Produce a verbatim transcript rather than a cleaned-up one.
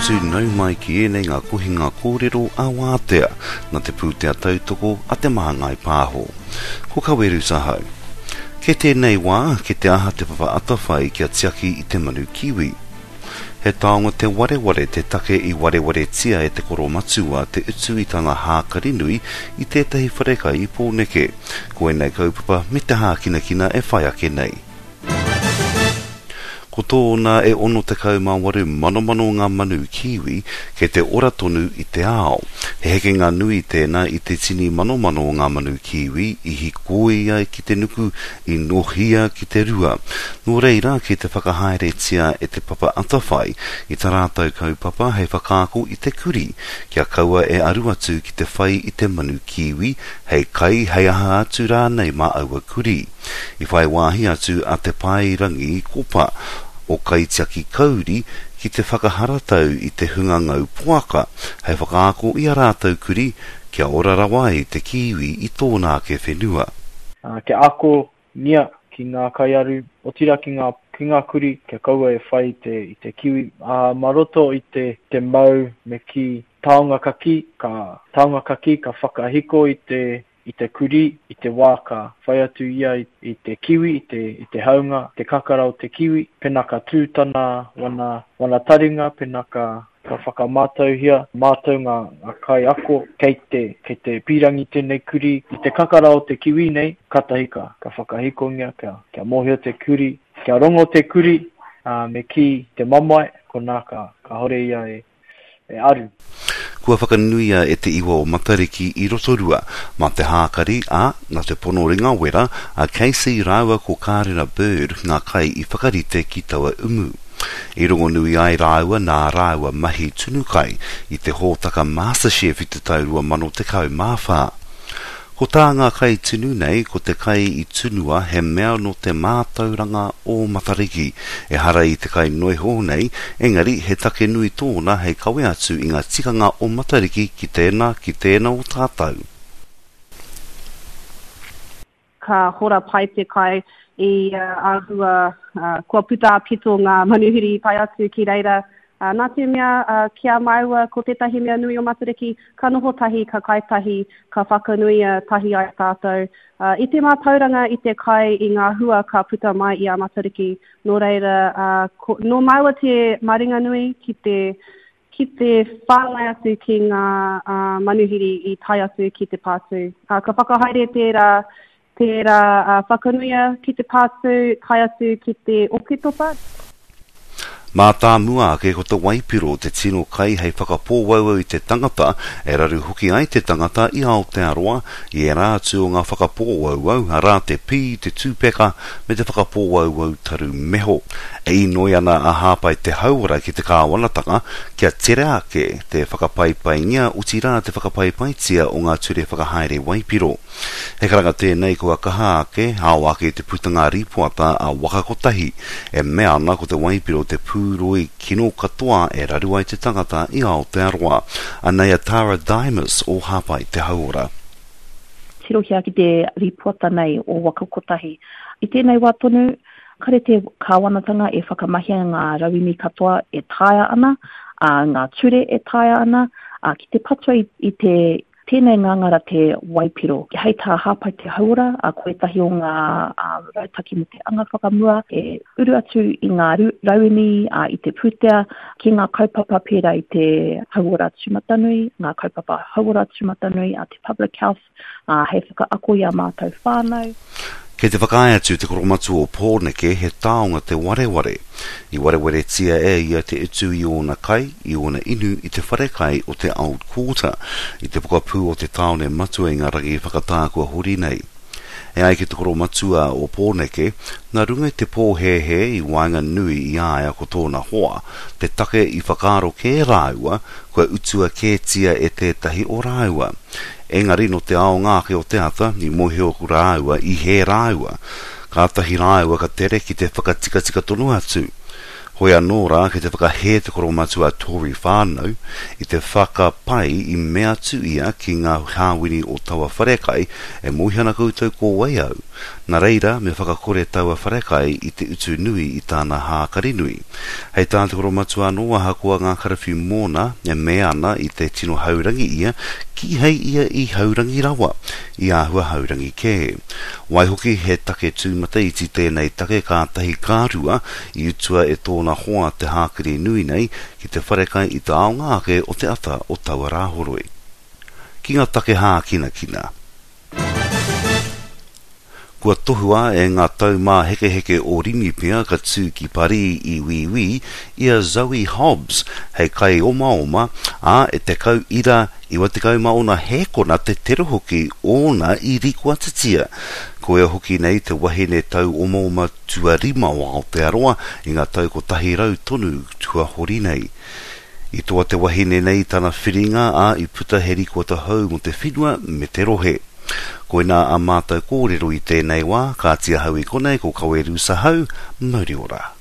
atu nau mai ki ēnei ngā kohinga kōrero a Wātea, na te pūtea tautoko a Te Māngai Pāho. Ko Kaweru Sahau. Ke tēnei wā, ke te aha Te Papa Atawhai kia tiaki i te manu kiwi. He taonga te wareware te take i warewaretia e te koromatua te utu i tana hākari nui i tētahi wharekai i Pōneke. Ko ēnei kaupapa me te hākinakina e whai ake nei. Ko tōna e ono tekau mā waru manomano ngā manu kiwi kei te ora tonu i te ao. He hekenga nui tēnā i te tini manomano o ngā manu kiwi i hikoia ki te nuku, i nohia ki te rua. Nō reira, ki te whakahaeretia e Te Papa Atawhai i tā rātou kaupapa hei whakaako i te kuri, kia kaua e aru atu ki te whai i te manu kiwi, hei kai, hei aha atu rānei mā aua kuri. I whai wāhi atu a Te Paerangi Kopa o Kaitiaki Kauri ki te whakaharatau i te hunga ngau poaka hei whakaako i a rātou kuri kia ora rawa ai te kiwi i tōna ake whenua. Uh, kia ako nia ki ngā kaiaru, otira ki ngā, ki ngā kuri, kia kaua e whai i te, i te kiwi. Uh, mā roto i te, te mau me ki taonga kaki, ka, taonga kaki ka whakahiko i te, i te kuri, i te wā ka whai atu ia i, i te kiwi, i te, i te haunga, te kakara o te kiwi, pena ka tū tana wana, wana taringa, pena ka, ka whakamātauhia, mātau ngā, ngā kai ako, kei te, kei te pīrangi tēnei kuri, i te kakara o te kiwi nei, katahi ka, ka whakahikongia, kia, kia mōhio te kuri, kia rongo te kuri, uh, me ki te mamae, konā ka, ka hore ia e, e aru. Kua whakanuia e te iwa o Matariki i Rotorua, mā te hākari a, nā te pono ringawera, a Casey rāua ko Kārina Bird ngā kai i whakarite ki taua umu. I rongonui ai rāua nā rāua mahi tunu kai i te hōtaka MasterChef i te tau rua mano tekau mā whā. Ko tā ngā kai tunu nei, ko te kai i tunua he mea no te mātauranga o Matariki. Ehara i te kai noiho nei, engari he take nui tōna hei kawe atu i ngā tikanga o Matariki ki tēnā, ki tēnā o tātou. Ka hora pai te kai i uh, āhua, uh, kua puta a pito ngā manuhiri i tae atu ki reira. Uh, nā te mea, uh, ki a māua ko tētahi mea nui o Matariki, ka noho tahi, ka kai tahi, ka whakanuia tahi ai tātou. Uh, i te mātauranga, i te kai, i ngā hua ka puta mai i a Matariki. Nō reira, uh, ko, nō māua te maringanui ki te, ki te whāngai atu ki ngā uh, manuhiri i tae atu ki te pātū. Uh, ka whakahaere tērā, tērā uh, whakanuia ki te pātū, tae atu ki te Oketopa. Mātāmua ake ko te waipiro te tino kai hei whakapōauau i te tangata, e raru hoki ai te tangata i Aotearoa, i ērā atu o ngā whakapōauau, arā te pī, te tūpeka, me te whakapōauau taru meho. E inoi ana a Hāpai te Hauora ki te kāwanatanga, kia tere ake te whakapaipaingia, otirā te whakapaipaitia o ngā ture whakahaere waipiro. He karanga tēnei kua kaha ake, ao ake te putanga rīpoata a Waka Kotahi, e mea ana ko te waipiro te pūroi kino katoa e raru ai te tangata i Aotearoa. Anei a Tara Dimas o Hāpai te Hauora. Tirohia ki te rīpoata nei o Waka Kotahi. I tēnei wā tonu, kare te kāwanatanga e whakamahia ngā rauemi katoa e taea ana, a ngā ture e taea ana, a ki te patua i, i te tēnei ngāngara te waipiro. Hei tā Hāpai te Hauora, a ko ētahi o ngā a, rautaki mō te anga whakamua e uru atu i ngā rauemi, a, i te pūtea, ki ngā kaupapa pērā i te hauora tūmatanui, ngā kaupapa hauora tūmatanui, a te public health, a, hei whakaako i a mātou whānau. Kei te whakaae atu te koromatua o Pōneke he taonga te wareware. I warewaretia e ia te utu i ōna kai, i ōna inu i te wharekai o te Old Quarter, i te pokapū o te tāone matua i ngā rangi whakatā kua hori nei. E ai ki te koromatua o Pōneke, nā runga i te pōhēhē i waenganui i a ia ko tōna hoa, te take i whakaaro kē rāua, kua utua kētia e tētahi o rāua. Engari no te ao ngāke o te ata, i mōhio ku rāua, i hē rāua. Kātahi rāua ka tere ki te whakatikatika tonu atu. Hoi anō rā ki te whakahē te koromatua Tory whānau, i te whakapai i mea atu ia ki ngā hāwini o taua wharekai e mōhio ana koutou ko wai au. Nā reira, me whakakore taua wharekai i te utu nui i tāna hākari nui. Hei tā te koromatua anō ahakoa ngā karawhiu mōna e mea ana i te tino haurangi ia, kīhai ia i haurangi rawa, i āhua haurangi kē. Waihoki he take tūmataiti tēnei take kātahi ka rua i utua e tōna hoa te hākari nui nei ki te wharekai i te aonga ake o te ata o taua rāhoroi. Ki ngā take hākinakina. Kua tohua e ngā taumāhekeheke o Rimipia ka tū ki Parī i Wīwī i a Zoe Hobbs hei kaiomaoma, ā, e tekau ira iwa tekau mā ono hēkona te tere hoki ōna i rikoatitia. Koia hoki nei te wahine tauomaoma tuarima o Aotearoa i ngā tau kotahi rau tonu tuahori nei. I toa te wahine nei tana whiringa, ā, i puta he rikoata hou mō te whenua me te rohe. Koinā a mātou kōrero i tēnei wā, kāti ahau i konei ko Kawe Rūsa Hau, mauri ora.